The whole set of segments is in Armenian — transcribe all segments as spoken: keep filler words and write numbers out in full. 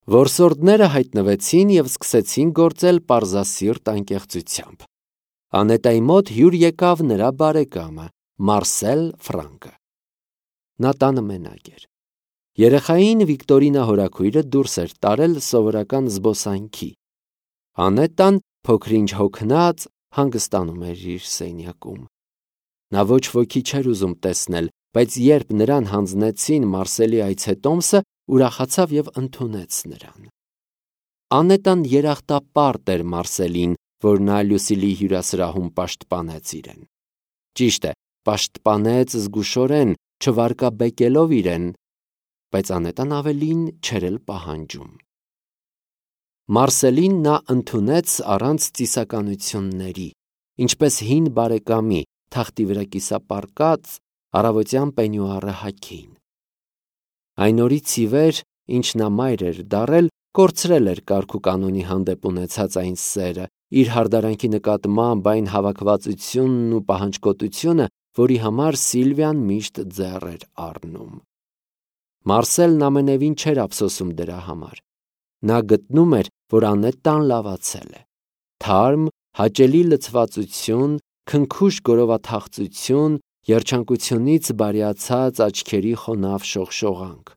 Որսորդները հայտնվեցին և սկսեցին գործել պարզասիրտ անկեղծությամբ։ Անետայի մոտ հյուր եկավ նրա բարեկամը Մարսել Ֆրանկը։ Նա տանը մենակ էր։ Երեխային Վիկտորինա հորաքույրը դուրս էր տարել սովորական զբոսանքի։ Անետան փոքր-ինչ հոգնած հանգստանում էր իր սենյակում։ Նա ոչ ոքի չէր ուզում տեսնել, բայց երբ նրան հանձնեցին Մարսելի այցետոմսը, ուրախացավ և ընդունեց նրան։ Անետան երախտապարտ էր Մարսելին, որ նա Լուսիլի հյուրասրահում պաշտպանեց իրեն։ Ճիշտ է, պաշտպանեց զգուշորեն, չվարկաբեկելով իրեն, բայց Անետան ավելին չէր էլ պահանջում։ Մարսելին նա ընդունեց առանց ծիսականությունների, ինչպես հին բարեկամի, թախտի վրա կիսապարկած, առավոտյան պենյուարը հագին։ Այն օրից ի վեր, ինչ նա մայր էր դառել, կորցրել էր կարգուկանոնի հանդեպ ունեցած այն սերը, իր հարդարանքի նկատմամբ այն հավաքվածությունն ու պահանջկոտությունը, որի համար Սիլվիան միշտ ձեռ էր առնում։ Մարսելն ամենևին չէր ափսոսում դրա համար։ Նա գտնում էր, որ Անետան լավացել է։ Թարմ, հաճելի լցվածություն, քնքուշ գորովաթախծություն, երջանկությունից բարյացած աչքերի խոնավ շողշողանք։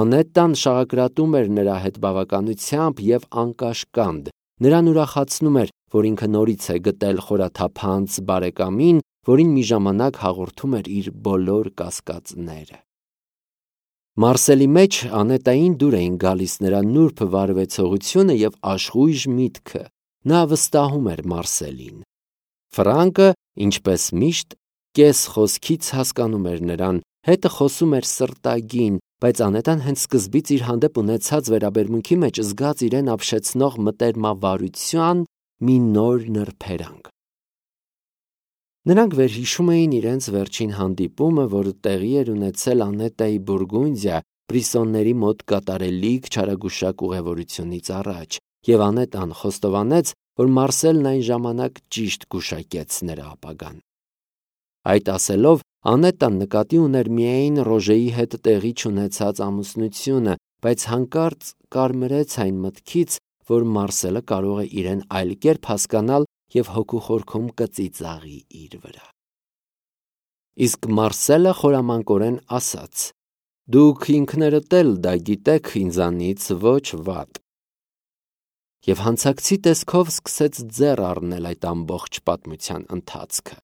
Անետան շաղակրատում էր նրա հետ բավականությամբ և անկաշկանդ, նրան ուրախացնում էր, որ ինքը նորից է գտել խորաթափանց բարեկամին, որին մի ժամանակ հաղորդում էր իր բոլոր կասկածները։ Մարսելի մեջ Անետային դուր էին գալիս նրա նուրբ վարվեցողությունը և աշխույժ միտքը։ Նա վստահում էր Մարսելին։ Ֆրանկը, ինչպես միշտ, կես խոսքից հասկանում էր նրան, հետը խոսում էր սրտագին, բայց Անետան հենց սկզբից իր հանդեպ ունեցած վերաբերմունքի մեջ զգաց իրեն ապշեցնող մտերմավարության մի նոր նրբերանգ։ Նրանք վերհիշում էին իրենց վերջին հանդիպումը, որը տեղի էր ունեցել Անետայի Բուրգունդիա Բրիսոնների մոտ կատարելիք չարագուշակ ուղևորությունից առաջ, և Անետան խոստովանեց, որ Մարսելն այն ժամանակ ճիշտ գուշակեց նրա ապագան։ Այդ ասելով, Անետան նկատի ուներ միայն Ռոժեի հետ տեղի չունեցած ամուսնությունը, բայց հանկարծ կարմրեց այն մտքից, որ Մարսելը կարող է իրեն այլ կերպ հասկանալ և հոգու խորքում կծիծաղի իր վրա։ Իսկ Մարսելը խորամանկորեն ասաց. «Դուք ինքներդ էլ դա գիտեք ինձանից ոչ վատ»։ Եվ հանցակցի տեսքով սկսեց ձեռ առնել այդ ամբողջ պատմության ընթացքը։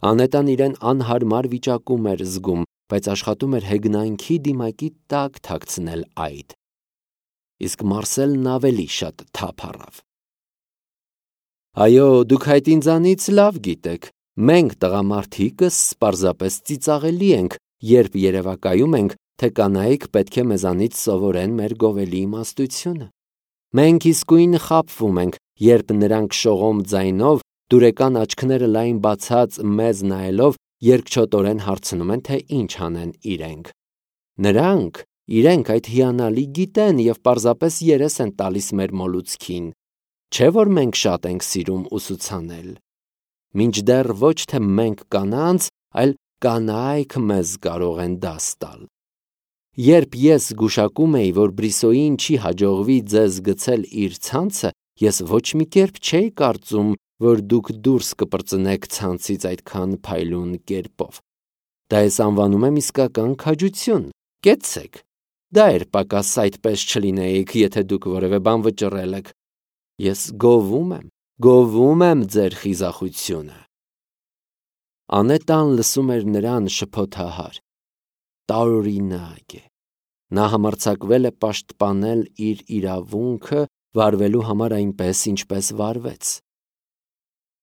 Անետան իրեն անհարմար վիճակում էր զգում, բայց աշխատում էր հեգնանքի դիմակի տակ թաքցնել այդ։ Իսկ Մարսելն ավելի շատ թափ առավ։ «Այո, դուք այդ ինձանից լավ գիտեք, մենք տղամարդիկս պարզապես ծիծաղելի ենք, երբ երևակայում ենք, թե կանայք պետք է մեզանից սովորեն մեր գովելի իմաստությունը։ Մենք իսկույն խաբվում ենք, երբ նրանք շողոմ ձայնով, դուրեկան աչքները լայն բացած մեզ նայելով, երկչոտորեն հարցնում են, թե ինչ անեն իրենք։ Նրանք իրենք այդ հիանալի գիտեն և պարզապես երես են տալիս մեր մոլուցքին, չէ՞ որ մենք շատ ենք սիրում ուսուցանել։ Մինչդեռ ոչ թե մենք կանանց, այլ կանայք մեզ կարող են դաս տալ։ Երբ ես գուշակում էի, որ Բրիսոյին չի հաջողվի ձեզ գցել իր ցանցը, ես ոչ մի կերպ չէի կարծում, որ դուք դուրս կպրծնեք ցանցից այդքան փայլուն կերպով։ Դա ես անվանում եմ իսկական քաջություն։ Կեցցեք։ Դա էր պակաս այդպես չլինեիք, եթե դուք որևէ բան վճռել եք։ Ես գովում եմ, գովում եմ ձեր խիզախությունը։ Անետան լսում էր նրան շփոթահար։ Տարօրինակ է։ Նա համարձակվել է պաշտպանել իր իրավունքը վարվելու համար այնպես, ինչպես վարվեց։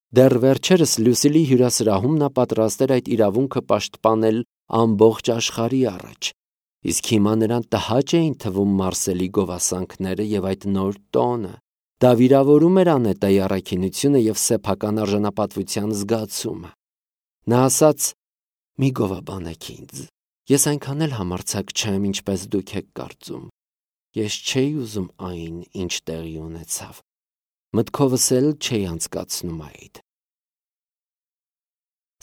Դեռ վերջերս Լուսիլի հյուրասրահում նա պատրաստ էր այդ իրավունքը պաշտպանել ամբողջ աշխարհի առաջ, իսկ հիմա նրան տհաճ էին թվում Մարսելի գովասանքները և այդ նոր տոնը։ Դա վիրավորում էր Անետայի առաքինությունը և սեփական արժանապատվության զգացումը։ Նա ասաց. «Մի գովաբանեք ինձ, ես այնքան էլ համարձակ չեմ, ինչպես դուք եք կարծում։ Ես չէի ուզում այն, ինչ տեղի ունեցավ։ Մտքովս էլ չէի անցկացնում այդ»։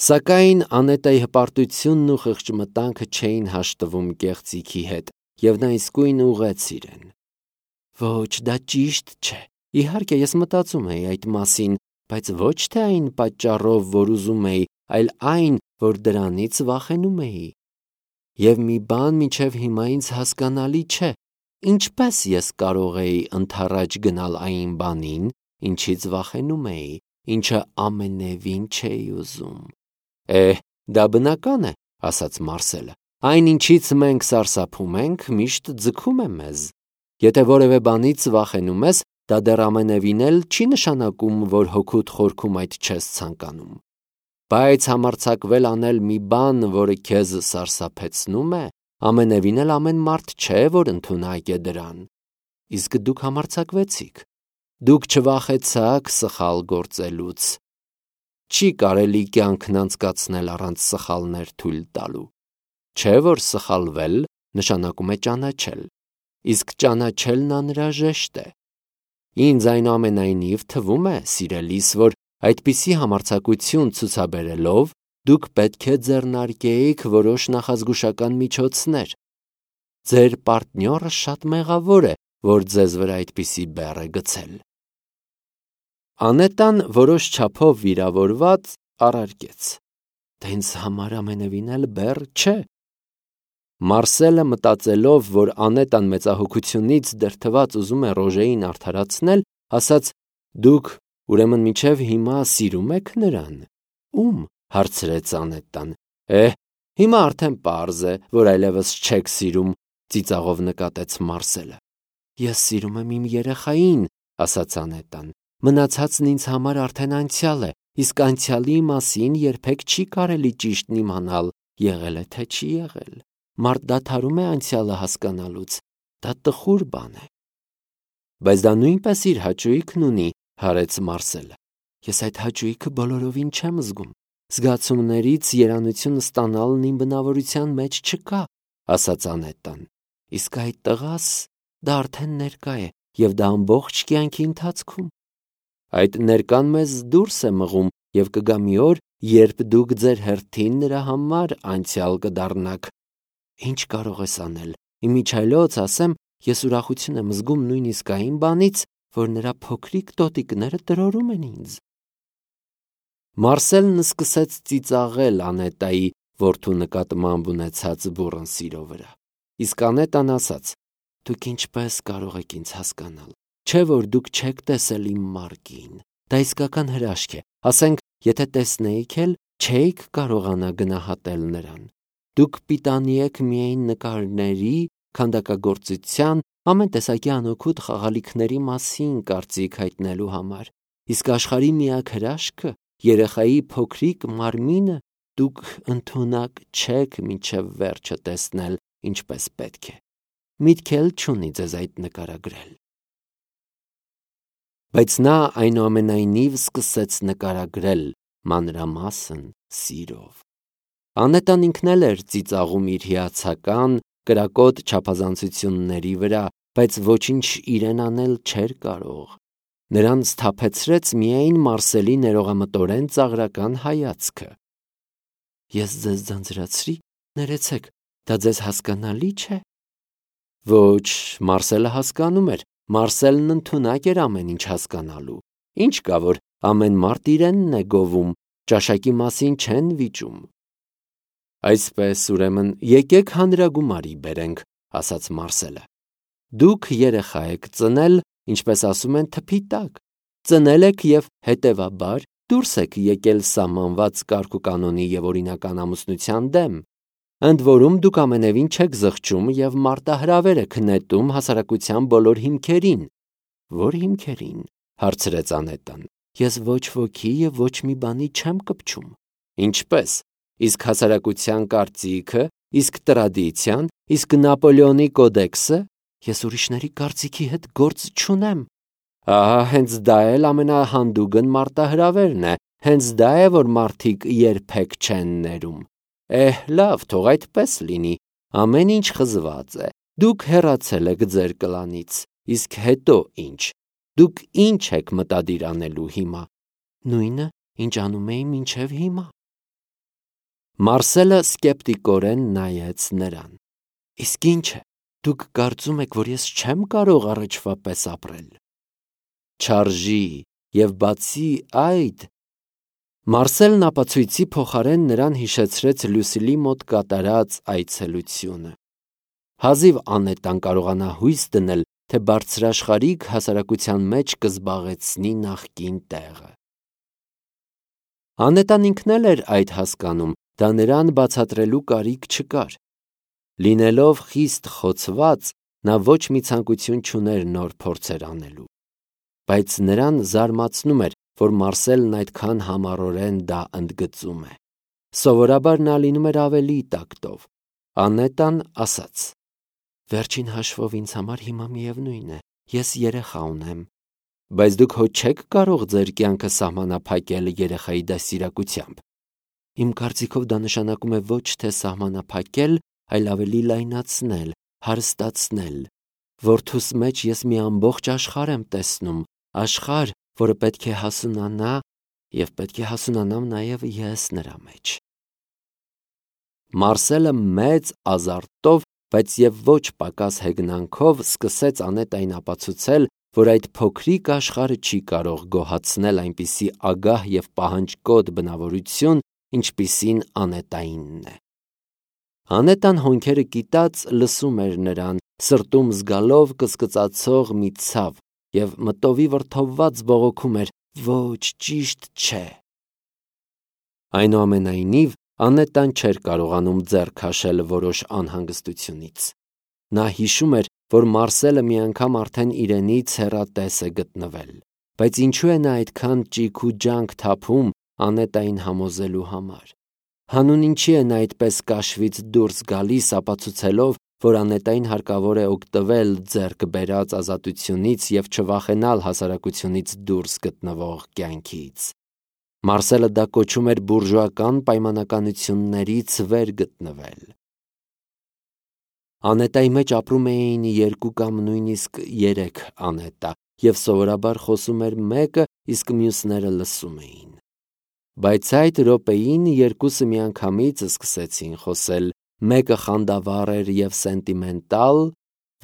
Սակայն Անետայի հպարտությունն ու խղճմտանքը չէին հաշտվում կեղծիքի հետ, և նա իսկույն ուղղեց իրեն։ Ոչ, դա ճիշտ չէ։ Իհարկե ես մտածում էի այդ մասին, բայց ոչ թե այն պատճառով, որ ուզում էի, այլ այն, որ դրանից վախենում էի։ Եվ մի բան մինչև հիմա ինձ հասկանալի չէ. ինչպես ես կարող էի ընդառաջ գնալ այն բանին, ինչից վախենում էի, ինչը ամենևին չէի ուզում։ Էհ, դա բնական է, ասաց Մարսելը։ Այն, ինչից մենք սարսափում ենք, միշտ ձգում է մեզ։ Եթե որևէ բանից վախենում ես, դա դեռ ամենևին էլ չի նշանակում, որ հոգուդ խորքում այդ չես ցանկանում։ Բայց համարձակվել անել մի բան, որը քեզ սարսափեցնում է, ամենևին էլ ամեն մարդ չէ, որ ընդունակ է դրան։ Իսկ դուք համարձակվեցիք։ Դուք չվախեցաք սխալ գործելուց։ Չի կարելի կյանքն անցկացնել առանց սխալներ թույլ տալու։ Չէ՞ որ սխալվել նշանակում է ճանաչել, իսկ ճանաչելն անհրաժեշտ է։ Ինձ այնուամենայնիվ թվում է, սիրելիս, որ այդպիսի համարձակություն ցուցաբերելով դուք պետք է ձեռնարկեիք որոշ նախազգուշական միջոցներ։ Ձեր պարտնյորը շատ մեղավոր է, որ ձեզ վրա այդպիսի բեռ է գցել։ Անետան որոշ չափով վիրավորված առարկեց. Դա ինձ համար ամենևին էլ բեռ չէ։ Մարսելը մտածելով, որ Անետան մեծահոգությունից դրդված ուզում է Ռոժեին արդարացնել, ասաց. Դուք ուրեմն մինչև հիմա սիրում եք նրան։ Ում, հարցրեց Անետան։ Էհ, հիմա արդեն պարզ է, որ այլևս չեք սիրում, ծիծաղով նկատեց Մարսելը։ Ես սիրում եմ իմ երեխային, ասաց Անետան։ Մնացածն ինձ համար արդեն անցյալ է, իսկ անցյալի մասին երբեք չի կարելի ճիշտն իմանալ, եղել է թե չի եղել։ Մարդ դադարում է անցյալը հասկանալուց, դա տխուր բան է։ Բայց դա նույնպես իր հաճույքն ունի, հարեց Մարսելը։ Ես այդ հաճույքը բոլորովին չեմ զգում։ Զգացումներից երանություն ստանալն իմ բնավորության մեջ չկա, ասաց Անետան։ Իսկ այդ տղաս, դա արդեն ներկա է, եւ դա ամբողջ կյանքի ընթացքում։ Այդ ներկան մեզ դուրս է մղում եւ կգա մի օր, երբ դուք ձեր հերթին նրա համար անցյալ կդառնաք։ Ինչ կարող ես անել։ Իմիջայլոց ասեմ, ես ուրախություն եմ զգում նույնիսկ այն բանից, որ նրա փոքրիկ տոտիկները տրորում են ինձ։ Մարսելն սկսեց ծիծաղել Անետայի որդու նկատմամբ ունեցած բուռն սիրո վրա։ Իսկ Անետան ասաց. Դուք ինչպես կարող եք ինձ հասկանալ։ Չէ՞ որ դուք չեք տեսել իմ մարկին։ Դա իսկական հրաշք է։ Ասենք, եթե տեսնեիք էլ, չէիք կարողանա գնահատել նրան։ Դուք պիտանի եք միայն նկարների, քանդակագործության, ամեն տեսակի անօգուտ խաղալիքների մասին կարծիք հայտնելու համար։ Իսկ աշխարհի միակ հրաշքը, երեխայի փոքրիկ մարմինը, դուք ընդունակ չեք մինչև վերջը տեսնել, ինչպես պետք է։ Միտք էլ չունի ձեզ այդ նկարագրել։ Բայց նա այնուամենայնիվ սկսեց նկարագրել մանրամասն սիրով։ Անետան ինքն էլ էր ծիծաղում իր հիացական, կրակոտ չափազանցությունների վրա, բայց ոչինչ իրեն անել չէր կարող։ Նրան սթափեցրեց միայն Մարսելի ներողամտորեն ծաղրական հայացքը։ Ես ձեզ ձանձրացրի, ներեցեք, դա ձեզ հասկանալի չէ։ Ոչ, Մարսելը հասկանում էր, Մարսելն ընդունակ էր ամեն ինչ հասկանալու։ Ինչ կա, որ ամեն մարդ իրենն է գովում, ճաշակի մասին չեն վիճում։ Այսպես, ուրեմն, եկեք հանրագումարի բերենք, ասաց Մարսելը։ Դուք երեխա եք ծնել, ինչպես ասում են, թփի տակ։ Ծնել եք եւ հետեւաբար դուրս եք եկել սահմանված կարգ ու կանոնի եւ օրինական ամուսնության դեմ։ Ընդ որում դուք ամենևին չեք զղջում եւ մարտահրավեր եք նետում հասարակության բոլոր հիմքերին։ Որ հիմքերին, հարցրեց Անետան։ Ես ոչ ոքի եւ ոչ մի բանի չեմ կպչում։ Ինչպես։ Իսկ հասարակության կարծիքը, իսկ տրադիցիան, իսկ Նապոլեոնի կոդեքսը, ես ուրիշների կարծիքի հետ գործ չունեմ։ Ահա հենց դա էլ ամենահանդուգն մարտահրավերն է, հենց դա է, որ մարդիկ երբեք չեն ներում։ Էհ, լավ, թող այդպես լինի, ամեն ինչ խզված է, դուք հեռացել եք ձեր կլանից, իսկ հետո ինչ, դուք ինչ եք մտադիր անելու հիմա, նույնը, ինչ անում էի մինչև հիմա։ Մարսելը սկեպտիկորեն նայեց նրան։ Իսկ ինչ է, Դուք կարծում եք, որ ես չեմ կարող առաջվա պես ապրել։ Չարժի, եւ բացի այդ, Մարսելն ապացույցի փոխարեն նրան հիշեցրեց Լուսիլի մոտ կատարած այցելությունը։ Հազիվ Անետան կարողանա հույս դնել, թե բարձրաշխարհիկ հասարակության մեջ կզբաղեցնի նախկին տեղը։ Անետան ինքն էլ էր այդ հասկանում, դա նրան բացատրելու կարիք չկար։ Լինելով խիստ խոցված, նա ոչ մի ցանկություն չուներ նոր փորձեր անելու։ Բայց նրան զարմացնում էր, որ Մարսելն այդքան համառորեն դա ընդգծում է։ Սովորաբար նա լինում էր ավելի տակտով։ Անետան ասաց. «Վերջին հաշվով ինձ համար հիմա միևնույն է, ես երեխա ունեմ, բայց դուք հո չեք կարող ձեր կյանքը սահմանափակել երեխայի դաստիարակությամբ։ Իմ կարծիքով դա նշանակում է ոչ թե սահմանափակել, այլ ավելի լայնացնել, հարստացնել։ Որդուս մեջ ես մի ամբողջ աշխարհ եմ տեսնում, աշխարհ, որը պետք է հասունանա, եւ պետք է հասունանամ նաեւ ես նրա մեջ»։ Մարսելը մեծ ազարտով, բայց եւ ոչ պակաս հեգնանքով սկսեց Անետային ապացուցել, որ այդ փոքրիկ աշխարհը չի կարող գոհացնել այնպիսի ագահ եւ պահանջկոտ բնավորություն, ինչպիսին Անետայինն է։ Անետան հոնքերը կիտած լսում էր նրան, սրտում զգալով կսկծացող մի ցավ եւ մտովի վրդովված բողոքում էր. «Ոչ, ճիշտ չէ»։ Այնուամենայնիվ, Անետան չէր կարողանում ձեռք քաշել որոշ անհանգստությունից։ Նա հիշում էր, որ Մարսելը մի անգամ արդեն իրենից հեռատես է գտնվել, բայց ինչու է նա այդքան ճիգ ու ջանք թափում Անետային համոզելու համար։ Հանուն ինչի է նա այդպես կաշվից դուրս գալիս, ապացուցելով, որ Անետային հարկավոր է օգտվել ձեռք բերած ազատությունից եւ չվախենալ հասարակությունից դուրս գտնվող կյանքից։ Մարսելը դա կոչում էր բուրժուական պայմանականություններից վեր գտնվել։ Անետայի մեջ ապրում էին երկու կամ նույնիսկ երեք Անետա, եւ սովորաբար խոսում էր մեկը, իսկ մյուսները լսում էին։ Բայց այդ րոպեին երկուսը միանգամից սկսեցին խոսել, մեկը խանդավառ էր եւ սենտիմենտալ,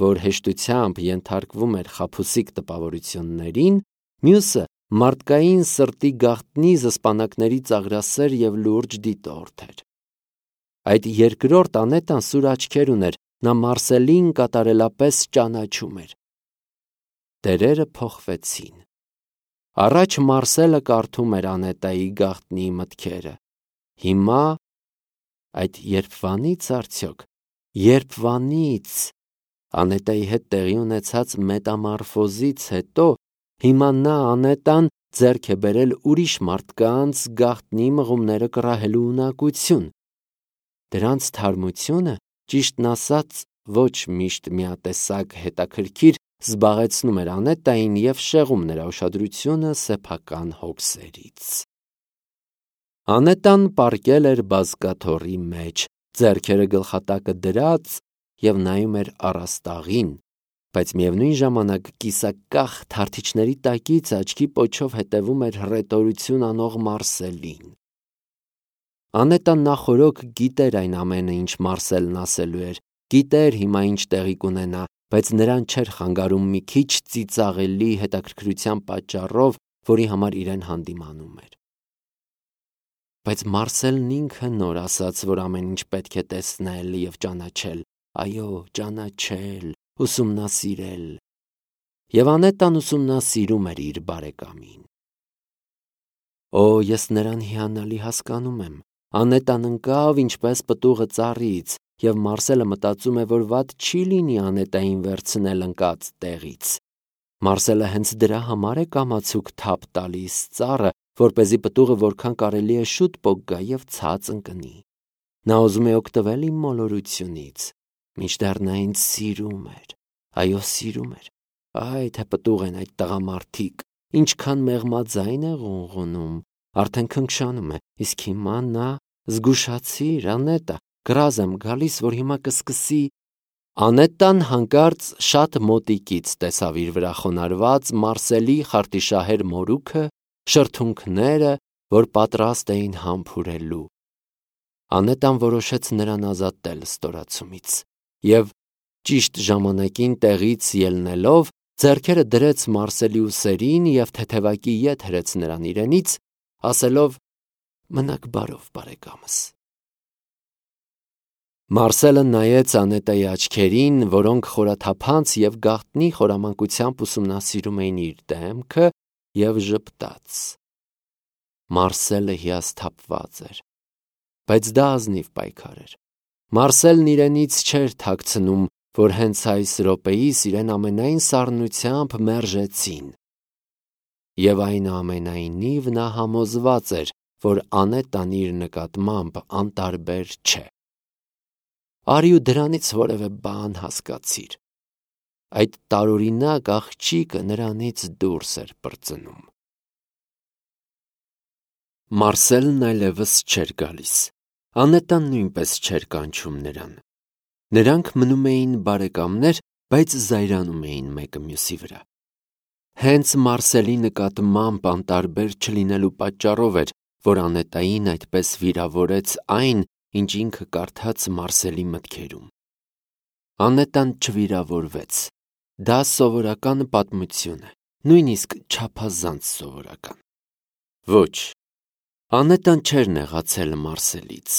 որ հեշտությամբ ենթարկվում էր խաբուսիկ տպավորություններին, մյուսը մարդկային սրտի գաղտնի զսպանակների ծաղրասեր եւ լուրջ դիտորդ էր։ Այդ երկրորդ Անետան սուր աչքեր ուներ, նա Մարսելին կատարելապես ճանաչում էր։ Տերերը փոխվեցին։ Առաջ Մարսելը կարդում էր Անետայի գաղտնի մտքերը։ Հիմա այդ երբվանից արդյոք, երբվանից Անետայի հետ տեղի ունեցած մետամորֆոզից հետո հիմա նա Անետան ձեռք է բերել ուրիշ մարդկանց գաղտնի մղումները կռահելու ունակություն։ Դրանց թարմությունը, ճիշտն ասած, ոչ միշտ միատեսակ հետաքրքիր զբաղեցնում էր Անետային եւ շեղում նրա ուշադրությունը սեփական հոգսերից։ Անետան պառկել էր բազկաթոռի մեջ, ձեռքերը գլխատակը դրած եւ նայում էր առաստաղին, բայց միևնույն ժամանակ կիսակախ թարթիչների տակից աչքի պոչով հետևում էր հռետորություն անող Մարսելին։ Անետան նախօրոք գիտեր այն ամենը, ինչ Մարսելն ասելու էր, գիտեր հիմա ինչ տեղի կունենա, բայց նրան չէր խանգարում մի քիչ ծիծաղելի հետաքրքրության պատճառով, որի համար իրեն հանդիմանում էր։ Բայց Մարսելն ինքը նոր ասաց, որ ամեն ինչ պետք է տեսնել եւ ճանաչել, այո, ճանաչել, ուսումնասիրել։ Եվ Անետան ուսումնասիրում էր իր բարեկամին։ Օ, ես նրան հիանալի հասկանում եմ։ Անետան ընկավ ինչպես պտուղը ծառից, եւ Մարսելը մտածում է, որ վատ չի լինի Անետային վերցնել ընկած տեղից։ Մարսելը հենց դրա համար է կամացուկ թափ տալիս ծառը, որպեսզի պտուղը որքան կարելի է շուտ պոկ գա եւ ցած ընկնի։ Նա ուզում է օգտվել իմ մոլորությունից, մինչդեռ նա ինձ սիրում էր, այո, սիրում էր։ Այ թե պտուղ են այդ տղամարդիկ, ինչքան մեղմաձայն է ղունղունում, արդեն քնքշանում է, իսկ հիմա նա զգուշացիր, Անետա, գրազ եմ գալիս, որ հիմա կսկսի։ Անետան հանկարծ շատ մոտիկից տեսավ իր վրա խոնարհված Մարսելի խարտիշահեր մորուքը, շրթունքները, որ պատրաստ էին համբուրելու։ Անետան որոշեց նրան ազատել ստորացումից եւ Ճիշտ ժամանակին տեղից ելնելով, ձեռքերը դրեց Մարսելի ուսերին և թեթևակի ետ հրեց նրան իրենից, ասելով. «Մնաք բարով, բարեկամս»։ Մարսելը նայեց Անետայի աչքերին, որոնք խորաթափանց և գաղտնի խորամանկությամբ ուսումնասիրում էին իր դեմքը, և ժպտաց։ Մարսելը հիասթափված էր, բայց դա ազնիվ պայքար էր։ Մարսելն իրենից չէր թաքցնում, որ հենց այս րոպեիս իրեն ամենայն սառնությամբ մերժեցին։ Եվ այնուամենայնիվ նա համոզված էր, որ Անետան իր նկատմամբ անտարբեր չէ։ Արի ու դրանից որևէ բան հասկացիր։ Այդ տարօրինակ աղջիկը նրանից դուրս էր պրծնում։ Մարսելն այլևս չէր գալիս։ Անետան նույնպես չէր կանչում նրան։ Նրանք մնում էին բարեկամներ, բայց զայրանում էին մեկը մյուսի վրա։ Հենց Մարսելի նկատմամբ անտարբեր չլինելու պատճառով էր, որ Անետային այդպես վիրավորեց այն, ինչ ինքը կարդաց Մարսելի մտքերում։ Անետան չվիրավորվեց։ Դա սովորական պատմություն է, նույնիսկ չափազանց սովորական։ Ոչ, Անետան չէր նեղացել Մարսելից,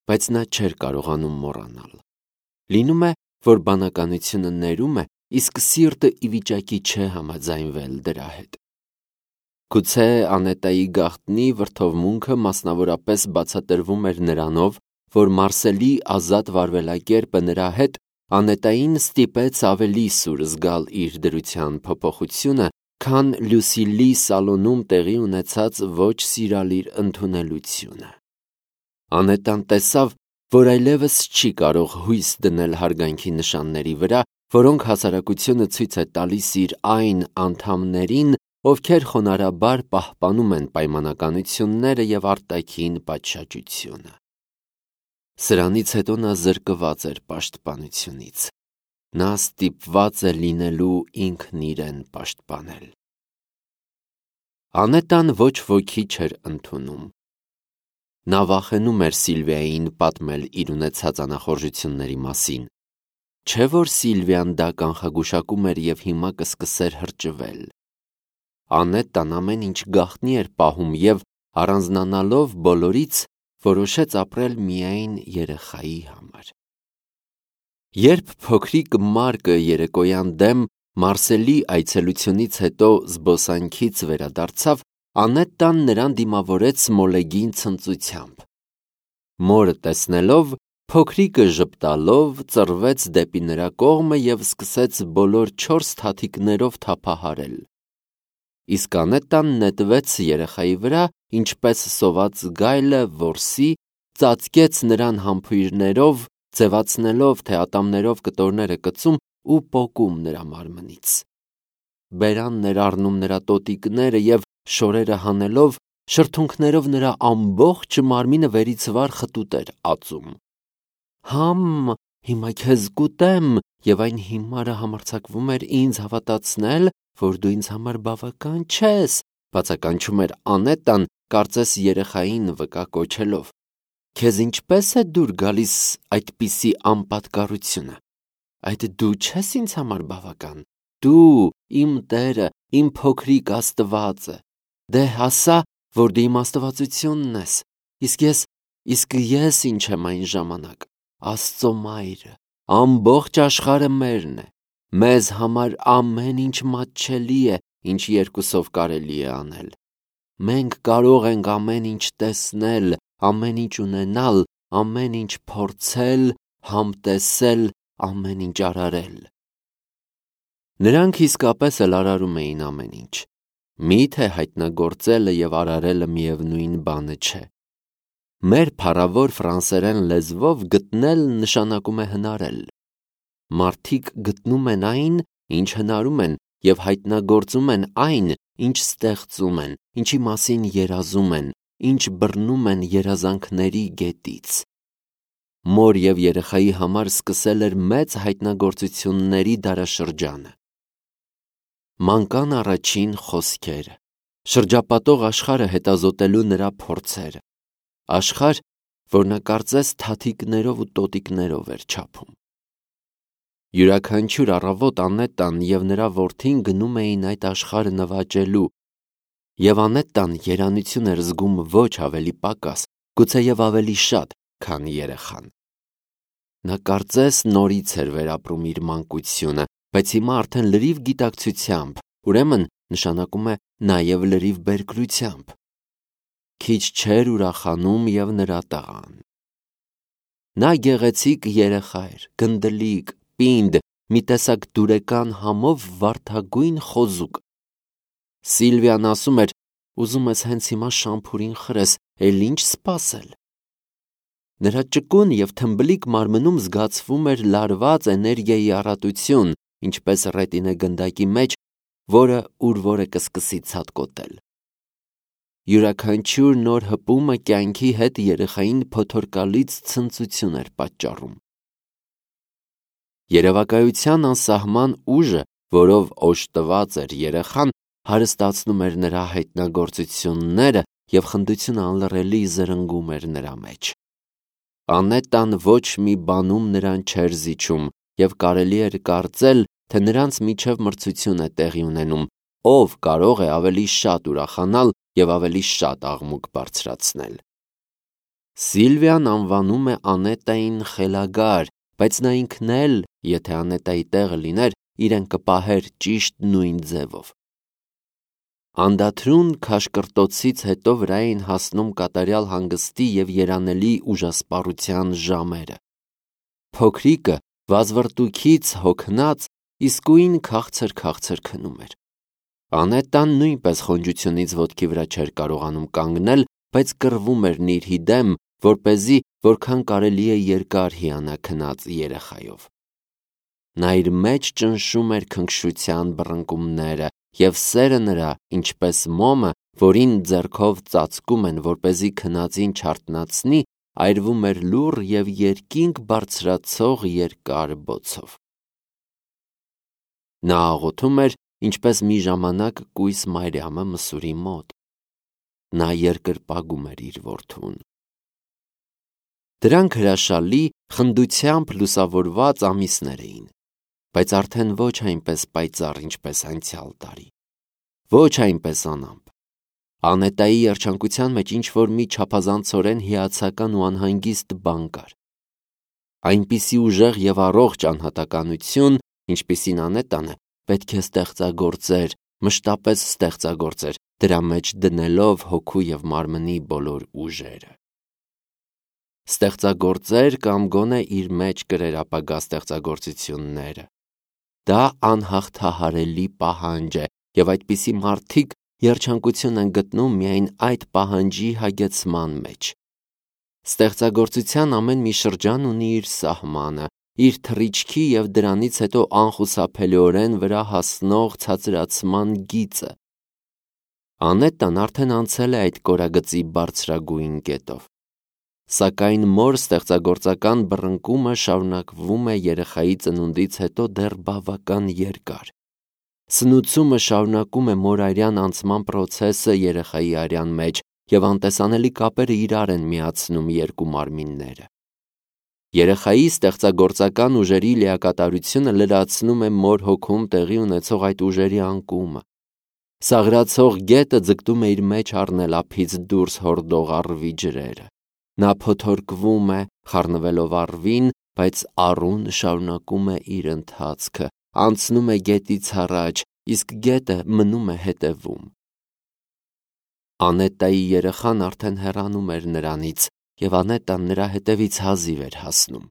բայց նա չէր կարողանում մոռանալ։ Լինում է, որ բանականությունը ներում է, իսկ սիրտը ի վիճակի չէ համաձայնվել դրա հետ։ Գուցե Անետայի գաղտնի վրդովմունքը մասնավորապես բացատրվում էր նրանով, որ Մարսելի ազատ վարվելակերպը նրա հետ Անետային ստիպեց ավելի սուր զգալ իր դրության փոփոխությունը, քան Լուսիլի սալոնում տեղի ունեցած ոչ սիրալիր ընդունելությունը։ Անետան տեսավ, որ այլևս չի կարող հույս դնել հարգանքի նշանների վրա, որոնք հասարակությունը ցույց է տալիս իր այն անդամներին, ովքեր խոնարհաբար պահպանում են պայմանականությունները և արտաքին պատշաճությունը։ Սրանից հետո նա զրկված էր պաշտպանությունից։ Նա ստիպված է լինելու ինքն իրեն պաշտպանել։ Անետան ոչ ոքի չէր ընդունում։ Նա վախենում էր Սիլվիային պատմել իր ունեցած անախորժությունների մասին։ Չէ՞ որ Սիլվիան դա կանխագուշակում էր և հիմա կսկսեր հրճվել։ Անետան ամեն ինչ գաղտնի էր պահում և, առանձնանալով բոլորից, որոշեց ապրել միայն երեխայի համար։ Երբ փոքրիկ Մարկը երեկոյան դեմ Մարսելի այցելությունից հետո զբոսանքից վերադարձավ, Անետան նրան դիմավորեց մոլեգին ցնծությամբ։ Մորը տեսնելով, փոքրիկը ժպտալով ծռվեց դեպի նրա կողմը և սկսեց բոլոր չորս թաթիկներով թափահարել։ Իսկ Անետան նետվեց երեխայի վրա, ինչպես սոված գայլը որսի, ծածկեց նրան համբույրներով, ձևացնելով, թե ատամներով կտորներ է կծում ու պոկում նրա մարմնից։ Բերանն էր առնում նրա տոտիկները և, շորերը հանելով, շրթունքներով նրա ամբողջ մարմինը վերից վար խտուտ էր ածում։ «Համ, հիմա քեզ կուտեմ», և այն հիմարը համարձակվում էր ինձ հավատացնել, որ դու ինձ համար բավական չես, բացականչում էր Անետան, կարծես երեխային վկա կոչելով։ Քեզ ինչպե՞ս է դուր գալիս այդպիսի անպատկառությունը։ Այդ դու չես ինձ համար բավական։ Դու, իմ տերը, իմ փոքրիկ աստվածը։ Դե հասա, որ դու իմ աստվածությունն ես։ Իսկ ես, իսկ ես ինչ եմ այն ժամանակ։ Աստծո մայրը, ամբողջ աշխարհը մերն է։ Մեզ համար ամեն ինչ մատչելի է, ինչ երկուսով կարելի է անել։ Մենք կարող ենք ամեն ինչ տեսնել, ամեն ինչ ունենալ, ամեն ինչ փորձել, համտեսել, ամեն ինչ արարել։ Նրանք իսկապես էլ արարում էին ամեն ինչ։ Մի՞թե հայտնագործելը և արարելը միևնույն բանը չէ։ Մեր փառավոր ֆրանսերեն լեզվով գտնել նշանակում է հնարել։ Մարդիկ գտնում են այն, ինչ հնարում են, և հայտնագործում են այն, ինչ ստեղծում են, ինչի մասին երազում են, ինչ բռնում են երազանքների գետից։ Մոր և երեխայի համար սկսել էր մեծ հայտնագործությունների դարաշրջանը։ Մանկան առաջին խոսքերը, շրջապատող աշխարհը հետազոտելու նրա փորձերը, աշխարհ, որ նա կարծես թաթիկներով ու տոտիկներով էր չափում։ Յուրաքանչյուր առավոտ Անետան և նրա որդին գնում էին այդ աշխարհը նվաճելու, և Անետան երանություն էր զգում ոչ ավելի պակաս, գուցեև ավելի շատ, քան երեխան։ Նա կարծես նորից էր վերապրում իր մանկությունը, բայց հիմա արդեն լրիվ գիտակցությամբ, ուրեմն նշանակում է նաև լրիվ բերկրությամբ։ Քիչ չէր ուրախանում և նրա տղան։ Նա գեղեցիկ երեխա էր, գնդլիկ, պինդ, մի տեսակ դուրեկան համով վարդագույն խոզուկ։ Սիլվիան ասում էր. «Ուզում ես հենց հիմա շամփուրին խրես, էլ ինչ սպասել»։ Նրա ճկուն և թմբլիկ մարմնում զգացվում էր լարված էներգիայի առատություն, ինչպես ռետինե գնդակի մեջ, որը ուր որ է կսկսի ցատկոտել։ Յուրաքանչյուր նոր հպումը կյանքի հետ երեխային փոթորկալից ցնծություն էր պատճառում։ Երևակայության անսահման ուժը, որով օժտված էր երեխան, հարստացնում էր նրա հայտնագործությունները և խնդությունը անլռելի զրնգում էր նրա մեջ։ Անետան ոչ մի բանում նրան չէր զիջում, և կարելի էր կարծել, թե նրանց միջև մրցություն է տեղի ունենում, ով կարող է ավելի շատ ուրախանալ և ավելի շատ աղմուկ բարձրացնել։ Սիլվիան անվանում է Անետային խելագար, բայց նա ինքն էլ, եթե Անետայի տեղը լիներ, իրեն կպահեր ճիշտ նույն ձևով։ Անդադրուն քաշկրտոցից հետո վրա էին հասնում կատարյալ հանգստի և երանելի ուժասպառության ժամերը։ Փոքրիկը վազվռտուքից հոգնած իսկույն քաղցր-քաղցր քնում էր։ Անետան նույնպես խոնջությունից ոտքի վրա չէր կարողանում կանգնել, բայց կռվում էր նիրհի դեմ, որպեսզի որքան կարելի է երկար հիանա քնած երեխայով։ Նա իր մեջ ճնշում էր քնքշության բռնկումները, և սերը նրա, ինչպես մոմը, որին ձեռքով ծածկում են, որպեսզի քնածին չարթնացնի, այրվում էր լուռ և երկինք բարձրացող երկար բոցով։ Նա աղոթում էր, ինչպես մի ժամանակ կույս Մարիամը Մսուրի մոտ։ Նա երկրպագում էր իր որդուն։ Դրանք հրաշալի, խնդությամբ լուսավորված ամիսներ էին, բայց արդեն ոչ այնպես պայծառ, ինչպես անցյալ տարի, ոչ այնպես անամպ։ Անետայի երջանկության մեջ ինչ-որ մի չափազանցորեն հիացական ու անհանգիստ բան կար։ Այնպիսի ուժեղ և առողջ անհատականություն, ինչպիսին Անետանը, պետք է ստեղծագործեր, մշտապես ստեղծագործեր, դրա մեջ դնելով հոգու և մարմնի բոլոր ուժերը։ Ստեղծագործեր կամ գոնե իր մեջ կրեր ապագա ստեղծագործությունները։ Դա անհաղթահարելի պահանջ է, և այդպիսի մարդիկ երջանկություն են գտնում միայն այդ պահանջի հագեցման մեջ։ Ստեղծագործության ամեն մի շրջան ունի իր սահմանը, իր թռիչքի և դրանից հետո անխուսափելիորեն վրա հասնող ցածրացման գիծը։ Անետան արդեն անցել է այդ կորագծի բարձրագույն կետով։ Սակայն մոր ստեղծագործական բռնկումը շարունակվում է երեխայի ծնունդից հետո դեռ բավական երկար։ Սնուցումը շարունակում է մորայրյան անցման պրոցեսը երեխայի արյան մեջ, և անտեսանելի կապերը իրար են միացնում երկու մարմինները։ Երեխայի ստեղծագործական ուժերի լիակատարությունը լրացնում է մոր հոգում տեղի ունեցող այդ ուժերի անկումը։ Սաղրացող գետը ձգտում է իր մեջ առնել ափից դուրս հորդող առվի ջրերը։ Նա փոթորկվում է, խառնվելով առվին, բայց առուն շարունակում է իր ընթացքը, անցնում է գետից առաջ, իսկ գետը մնում է հետևում։ Անետայի երեխան արդեն հեռանում էր նրանից, և Անետան նրա հետևից հազիվ էր հասնում։